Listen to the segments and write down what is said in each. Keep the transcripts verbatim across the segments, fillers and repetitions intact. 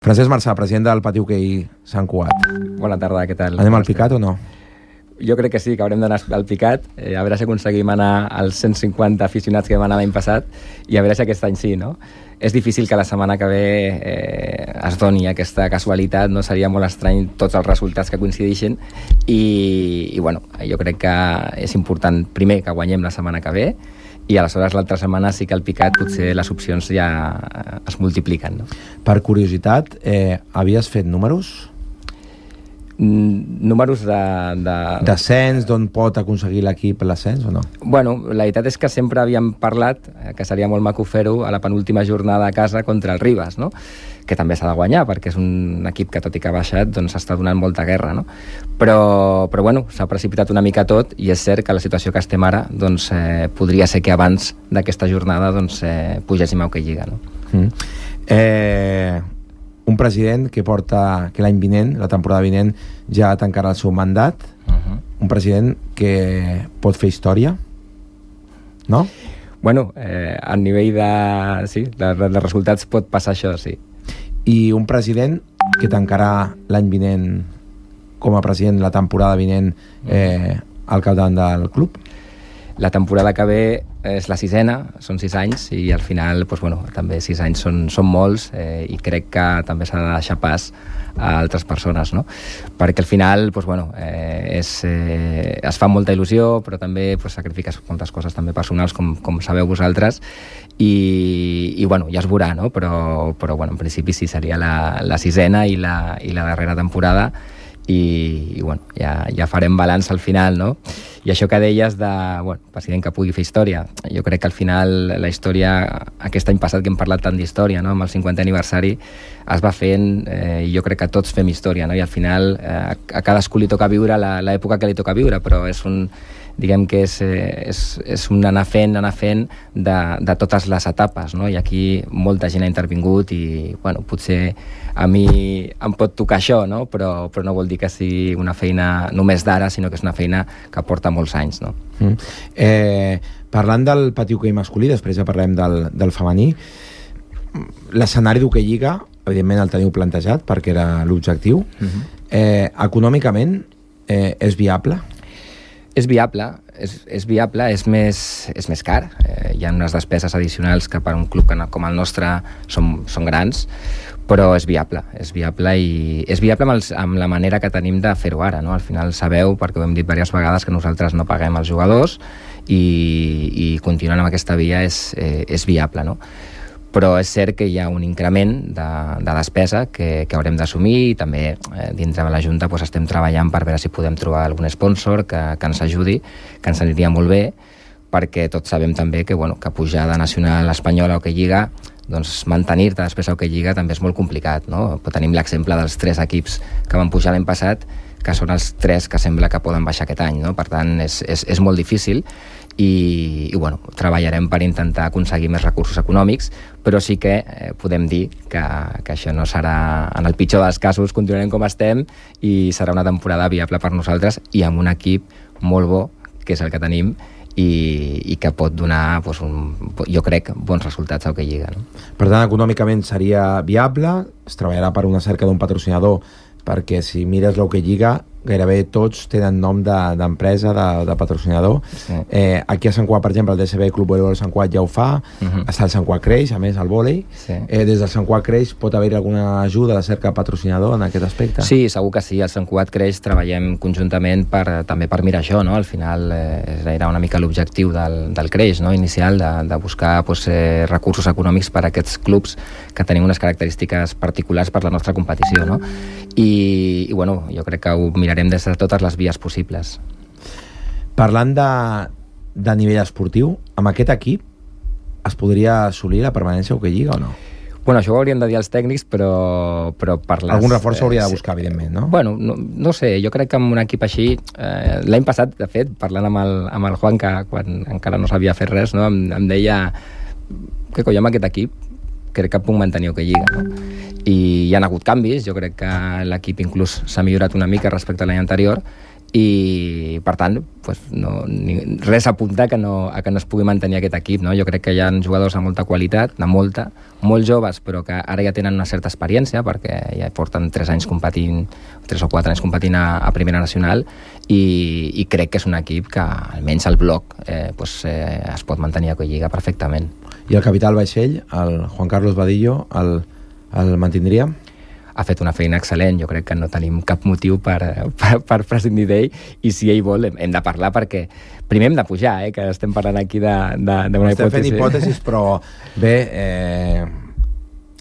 Francesc Marçà, president del Pati Hoquei Sant Cugat. Bona tarda, què tal? Anem al Picat o no? Jo crec que sí, que haurem d'anar al Picat, eh, a veure si aconseguim anar als cent cinquanta aficionats que vam anar l'any passat i a veure si aquest any sí, no? És difícil que la setmana que ve eh, es doni aquesta casualitat, no? Seria molt estrany tots els resultats que coincideixin i, i bueno, jo crec que és important primer que guanyem la setmana que ve i aleshores l'altra setmana sí que al Picat potser les opcions ja es multipliquen, no? Per curiositat, eh, havies fet números? Números de... de... D'ascens, d'on pot aconseguir l'equip l'ascens o no? Bueno, la veritat és que sempre havíem parlat que seria molt maco fer-ho a la penúltima jornada a casa contra el Ribas, no? Que també s'ha de guanyar, perquè és un equip que, tot i que ha baixat, doncs està donant molta guerra, no? Però, però bueno, s'ha precipitat una mica tot i és cert que la situació que estem ara doncs, eh, podria ser que abans d'aquesta jornada doncs, eh, pugéssim a Hoquei Lliga, no? Mm. Eh... Un president que porta que l'any vinent, la temporada vinent, ja tancarà el seu mandat. Uh-huh. Un president que pot fer història, no? Bueno, eh, a nivell de, sí, de, de resultats pot passar això, sí. I un president que tancarà l'any vinent com a president la temporada vinent eh, al capdavant del club? La temporada que ve és la sisena, són sis anys i al final, doncs, bueno, també sis anys són, són molts eh, i crec que també s'ha de deixar pas a altres persones, no? Perquè al final doncs, bueno, eh, és, eh, es fa molta il·lusió però també doncs, sacrifiques moltes coses també personals com, com sabeu vosaltres i, i bueno, ja es veurà, no? Però, però bueno, en principi sí seria la, la sisena i la, i la darrera temporada i, i bueno, ja, ja farem balanç al final, no? I això que deies de, bueno, president que pugui fer història, jo crec que al final la història, aquest any passat que hem parlat tant d'història, no? Amb el cinquantè aniversari es va fent, eh, i jo crec que tots fem història, no? I al final eh, a cadascú li toca viure l'època que li toca viure, però és un, diguem que és, és, és un anar fent, anar fent de, de totes les etapes, no? I aquí molta gent ha intervingut i, bueno, potser a mi em pot tocar això, no? Però, però no vol dir que sigui una feina només d'ara, sinó que és una feina que porta molts anys, no? Mm. Eh, parlant del Pati Hoquei masculí, després ja parlem del, del femení, l'escenari d'Hoquei Lliga, evidentment el teniu plantejat perquè era l'objectiu. Uh-huh. eh, econòmicament eh, és viable? És viable, és, és viable, és més, és més car. Eh, hi ha unes despeses addicionals que per un club com el nostre són, són grans, però és viable, és viable i és viable amb, els, amb la manera que tenim de fer-ho ara, no? Al final sabeu, perquè ho hem dit diverses vegades, que nosaltres no paguem els jugadors i, i continuant amb aquesta via és, eh, és viable, no? Però és cert que hi ha un increment de, de despesa que, que haurem d'assumir i també eh, dintre de la Junta doncs, estem treballant per veure si podem trobar algun sponsor que, que ens ajudi, que ens aniria molt bé, perquè tots sabem també que, bueno, que pujar de nacional espanyola a Hoquei Lliga, doncs mantenir-te després a Hoquei Lliga també és molt complicat, no? Però tenim l'exemple dels tres equips que van pujar l'any passat, que són els tres que sembla que poden baixar aquest any, no? Per tant, és, és, és molt difícil i, i bueno, treballarem per intentar aconseguir més recursos econòmics, però sí que eh, podem dir que, que això no serà, en el pitjor dels casos continuarem com estem i serà una temporada viable per nosaltres i amb un equip molt bo, que és el que tenim i, i que pot donar doncs, un, jo crec, bons resultats a Hoquei Lliga, no? Per tant, econòmicament seria viable, es treballarà per una cerca d'un patrocinador, perquè si mires l'Hoquei Lliga gairebé tots tenen nom d'empresa, de, de, de patrocinador. Sí. Eh, aquí a Sant Cugat, per exemple, el D S B Club Voleibol Sant Cugat ja ho fa, uh-huh. Està el Sant Cugat Creix, a més, el vòlei. Sí. Eh, des del Sant Cugat Creix pot haver alguna ajuda de cerca patrocinador en aquest aspecte? Sí, segur que sí. Al Sant Cugat Creix treballem conjuntament per, també per mirar això, no? Al final eh, era una mica l'objectiu del, del Creix, no? Inicial, de, de buscar pues, eh, recursos econòmics per a aquests clubs que tenim unes característiques particulars per la nostra competició, no? I, i bueno, jo crec que ho mirarem des de totes les vies possibles. Parlant de, de nivell esportiu, amb aquest equip es podria assolir la permanència a Hoquei Lliga o no? Bueno, això ho haurien de dir els tècnics, però, però per les... Algun reforç s'hauria de buscar, evidentment, no? Bueno, no, no sé, jo crec que amb un equip així... Eh, l'any passat, de fet, parlant amb el, amb el Juan, que quan encara no sabia fer res, no? em, em deia que coi, amb aquest equip crec que puc mantenir Hoquei Lliga, no? I hi ha hagut canvis, jo crec que l'equip inclús s'ha millorat una mica respecte a l'any anterior i per tant pues, no, ni, res apunta que no, a que no es pugui mantenir aquest equip, no? Jo crec que hi ha jugadors de molta qualitat, de molta, molt joves, però que ara ja tenen una certa experiència perquè ja porten tres anys competint, tres o quatre anys competint a, a Primera Nacional i, i crec que és un equip que almenys al bloc eh, pues, eh, es pot mantenir a Collliga perfectament. I el capità del vaixell, el Juan Carlos Vadillo, el, el mantindria? Ha fet una feina excel·lent, jo crec que no tenim cap motiu per, per, per prescindir d'ell i si ell vol hem, hem de parlar perquè primer hem de pujar, eh, que estem parlant aquí d'una hipòtesi. Estem fent hipòtesis, però bé, eh,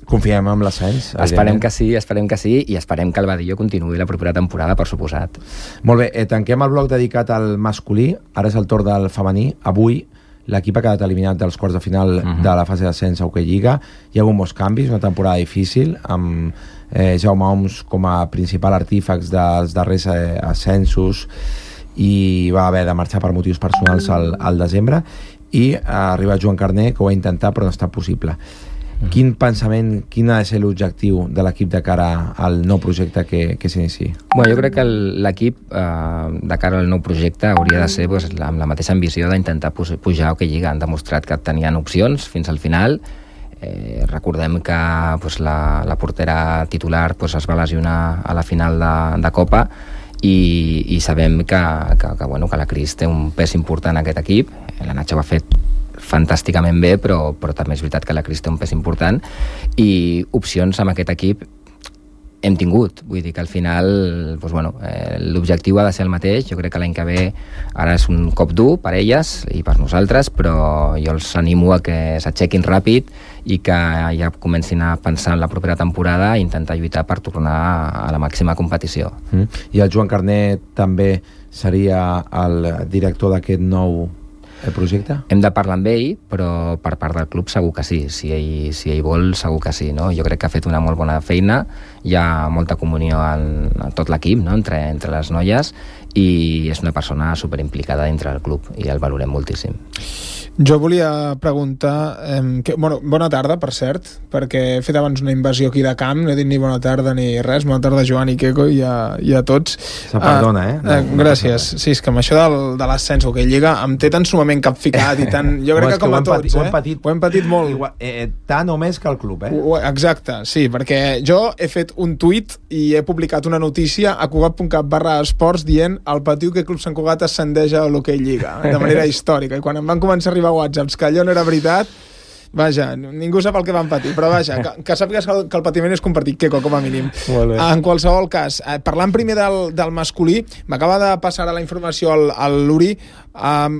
confiem en l'ascens. Esperem que sí, esperem que sí i esperem que el Vadillo continuï la propera temporada, per suposat. Molt bé, eh, tanquem el bloc dedicat al masculí, ara és el torn del femení. Avui l'equip ha quedat eliminat dels quarts de final uh-huh. de la fase d'ascens a Hockey Lliga. Hi ha hagut molts canvis, una temporada difícil, amb eh, Jaume Oms com a principal artífex dels darrers eh, ascensos i va haver de marxar per motius personals al, al desembre i ha arribat Joan Carner, que ho ha intentat però no està possible. Quin pensament, quin ha de ser l'objectiu de l'equip de cara al nou projecte que, que s'inici? Bueno, jo crec que l'equip eh, de cara al nou projecte hauria de ser pues, amb la mateixa ambició d'intentar pujar a Hockey Lliga. Han demostrat que tenien opcions fins al final. Eh, recordem que pues, la, la portera titular pues, es va lesionar a la final de, de Copa i, i sabem que, que, que, bueno, que la Cris té un pes important en aquest equip. La Nacho ho ha fet fantàsticament bé, però, però també és veritat que la Cris té un pes important i opcions amb aquest equip hem tingut, vull dir que al final doncs, bueno, eh, l'objectiu ha de ser el mateix. Jo crec que l'any que ve ara és un cop dur per elles i per nosaltres, però jo els animo a que s'aixequin ràpid i que ja comencin a pensar en la propera temporada i intentar lluitar per tornar a la màxima competició. Mm. I el Joan Carner també seria el director d'aquest nou el projecte? Hem de parlar amb ell, però per part del club segur que sí. Si ell, si ell vol, segur que sí. No? Jo crec que ha fet una molt bona feina, hi ha molta comunió en, en tot l'equip, no? entre, entre les noies, i és una persona superimplicada dintre del club i el valorem moltíssim. Jo volia preguntar eh, que, bueno, bona tarda, per cert, perquè he fet abans una invasió aquí de camp, no he dit ni bona tarda ni res. Bona tarda, Joan i Queco, i a, i a tots. Se perdona, eh? No, eh gràcies. No sí, és que amb això del, de l'ascens Hockey Lliga em té tan sumament capficat i tan... Jo crec que com a tots, patit, eh? Ho hem patit, ho hem patit molt. Igual, eh, tant o més que el club, eh? Ho, exacte, sí, perquè jo he fet un tuit i he publicat una notícia a cugat punt cat barra esports dient el Patiu que Club Sant Cugat ascendeix a l'Hockey Lliga, de manera històrica. I quan em van començar a arribar whatsapps que allò no era veritat, vaja, ningú sap el que van patir, però vaja, que, que sàpigues que el, que el patiment és compartit, Queco, com a mínim. En qualsevol cas, eh, parlant primer del, del masculí, m'acaba de passar a la informació al, al Luri, eh,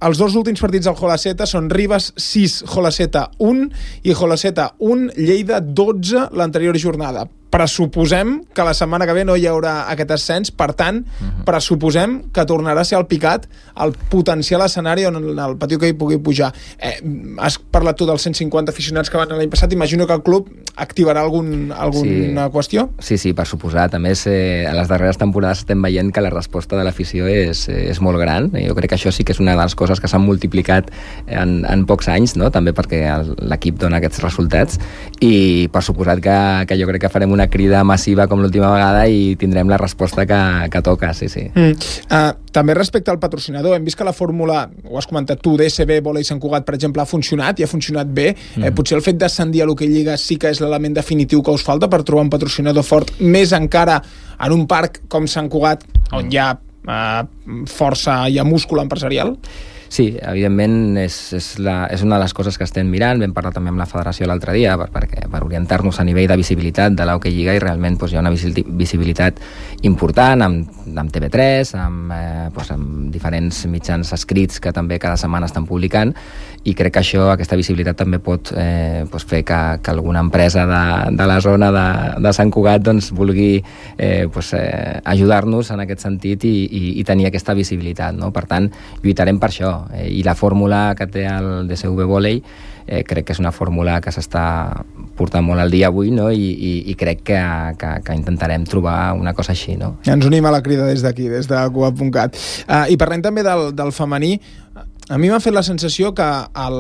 els dos últims partits del Jolaceta són Ribes sis, Jolaceta un i Jolaceta un, Lleida dotze l'anterior jornada. Pressuposem que la setmana que ve no hi haurà aquest ascens, per tant, uh-huh. pressuposem que tornarà a ser el Picat el potencial escenari on el Patiu que hi pugui pujar. Eh, has parlat tu dels cent cinquanta aficionats que van l'any passat, imagino que el club activarà algun, alguna sí. qüestió? Sí, sí, per suposat. A més, eh, a les darreres temporades estem veient que la resposta de l'afició és, és molt gran. Jo crec que això sí que és una de les coses que s'han multiplicat en, en pocs anys, no? També perquè l'equip dona aquests resultats i per suposat que, que jo crec que farem una crida massiva com l'última vegada i tindrem la resposta que, que toca, sí, sí. Mm. Uh, també respecte al patrocinador, hem vist que la fórmula, ho has comentat tu, D S B, Volei Sant Cugat, per exemple, ha funcionat i ha funcionat bé. Mm. Eh, potser el fet d'ascendir a l'Hockey Lliga sí que és l'element definitiu que us falta per trobar un patrocinador fort, més encara en un parc com Sant Cugat, on hi ha uh, força, hi ha múscul empresarial? Sí, evidentment és, és, la, és una de les coses que estem mirant. Vam parlar també amb la federació l'altre dia per, per, per orientar-nos a nivell de visibilitat de l'Hockey Lliga i realment doncs, hi ha una visibilitat important amb, amb T V tres, amb, eh, doncs, amb diferents mitjans escrits que també cada setmana estan publicant i crec que això, aquesta visibilitat també pot eh, doncs fer que, que alguna empresa de, de la zona de, de Sant Cugat doncs, vulgui eh, doncs, eh, ajudar-nos en aquest sentit i, i, i tenir aquesta visibilitat, no? Per tant, lluitarem per això. Eh, i la fórmula que té el D S V Volei eh, crec que és una fórmula que s'està portant molt al dia avui, no? I, i, i crec que, que, que intentarem trobar una cosa així, no? Ens unim a la crida des d'aquí, des de cugat punt cat. Uh, I parlem també del, del femení. A mi m'ha fet la sensació que el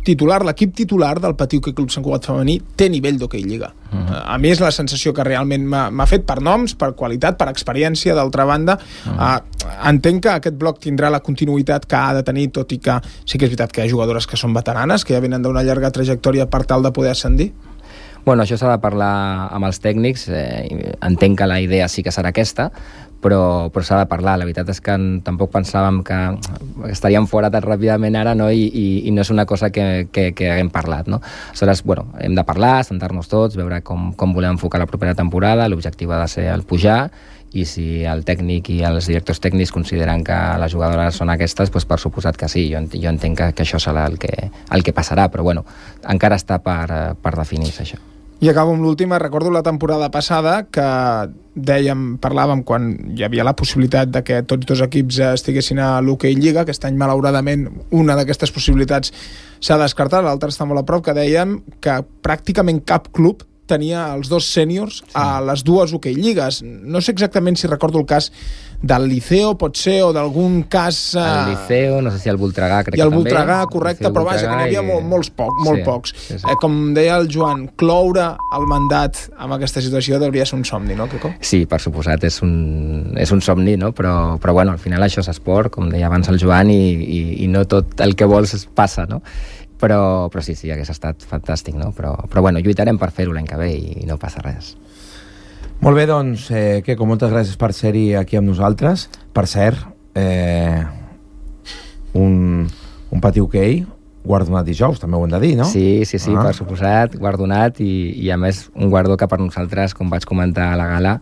titular, l'equip titular del Patí Hoquei Club Sant Cugat femení té nivell d'hoquei lliga. Uh -huh. A mi és la sensació que realment m'ha fet per noms, per qualitat, per experiència. D'altra banda, uh -huh. uh, entenc que aquest bloc tindrà la continuïtat que ha de tenir, tot i que sí que és veritat que hi ha jugadores que són veteranes, que ja venen d'una llarga trajectòria per tal de poder ascendir. Bueno, això s'ha de parlar amb els tècnics. Eh, entenc que la idea sí que serà aquesta, però, però s'ha de parlar. La veritat és que en, tampoc pensàvem que estaríem fora tan ràpidament ara, no? I, i, i no és una cosa que, que, que haguem parlat, no? Aleshores, bueno, hem de parlar, sentar-nos tots, veure com, com volem enfocar la propera temporada. L'objectiu ha de ser el pujar, i si el tècnic i els directors tècnics consideren que les jugadores són aquestes, doncs per suposat que sí. Jo, jo entenc que, que això serà el que, el que passarà, però bueno, encara està per, per definir-se això. I acabo amb l'última. Recordo la temporada passada que dèiem, parlàvem quan hi havia la possibilitat de que tots dos equips estiguessin a l'Hoquei Lliga. Aquest any, malauradament, una d'aquestes possibilitats s'ha descartat, l'altra està molt a prop, que dèiem que pràcticament cap club tenia els dos sèniors sí. a les dues Hoquei Lligues. No sé exactament si recordo el cas del Liceo, pot ser, o d'algun cas... El Liceo, no sé si el Voltregà, crec que també. I el Voltregà, correcte, però vaja, que n'hi havia i... molt, molts, poc, molt sí, pocs. Sí, sí. Eh, com deia el Joan, cloure el mandat amb aquesta situació hauria ser un somni, no, Quico? Sí, per suposat, és un, és un somni, no? Però, però bueno, al final això és esport, com deia abans el Joan, i, i, i no tot el que vols passa, no? Però, però sí, sí, hagués estat fantàstic, no? Però, però bueno, lluitarem per fer-ho l'any que ve i, i no passa res. Molt bé, doncs, eh, Quico, moltes gràcies per ser-hi aquí amb nosaltres. Per cert, eh, un, un Patí Hoquei guardonat dijous, també ho hem de dir, no? Sí, sí, sí, ah. per suposat, guardonat, i, i a més un guardó que per nosaltres, com vaig comentar a la gala,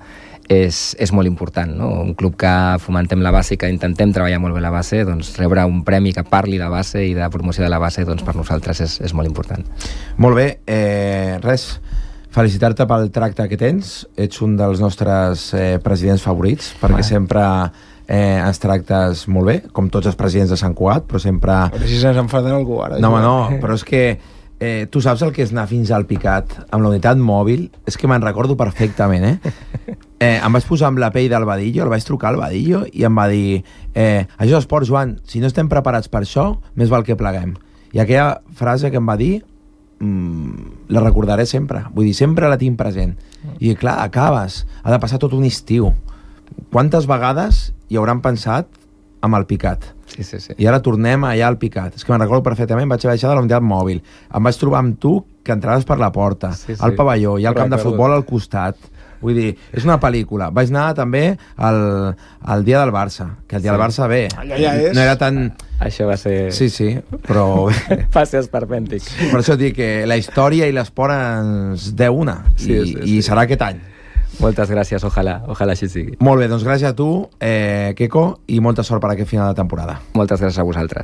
és, és molt important, no? Un club que fomentem la base i que intentem treballar molt bé la base, doncs rebre un premi que parli de base i de promoció de la base, doncs per nosaltres és, és molt important. Molt bé, eh, res, felicitar-te pel tracte que tens. Ets un dels nostres eh, presidents favorits, perquè ah. sempre eh, ens tractes molt bé, com tots els presidents de Sant Cugat, però sempre... Però si se'ns enfaden algú ara. No, home, no, però és que eh, tu saps el que és anar fins al Picat amb la unitat mòbil? És que me'n recordo perfectament, eh? eh? Em vaig posar amb la pell del Badillo, el vaig trucar al Badillo i em va dir eh, això és esport, Joan, si no estem preparats per això, més val que pleguem. I aquella frase que em va dir mmm, la recordaré sempre. Vull dir, sempre la tinc present. I clar, acabes, ha de passar tot un estiu. Quantes vegades hi hauran pensat amb el Picat? Sí, sí, sí. I ara tornem allà al Picat. És que me'n recordo perfectament, vaig baixar de la unitat mòbil, em vaig trobar amb tu que entraves per la porta, sí, sí. al pavelló, i al camp de futbol al costat. Vull dir, és una pel·lícula. Vaig anar també al, al dia del Barça, que el dia sí. del Barça, bé, allà ja és. No era tan... Això va ser... Sí, sí, però... va ser esperpèntic. Per això dic que la història i l'esport ens deu una, sí, i, sí, sí. i serà aquest any. Moltes gràcies, ojalà, ojalà així sigui. Molt bé, doncs gràcies a tu, eh, Quico, i molta sort per aquest final de temporada. Moltes gràcies a vosaltres.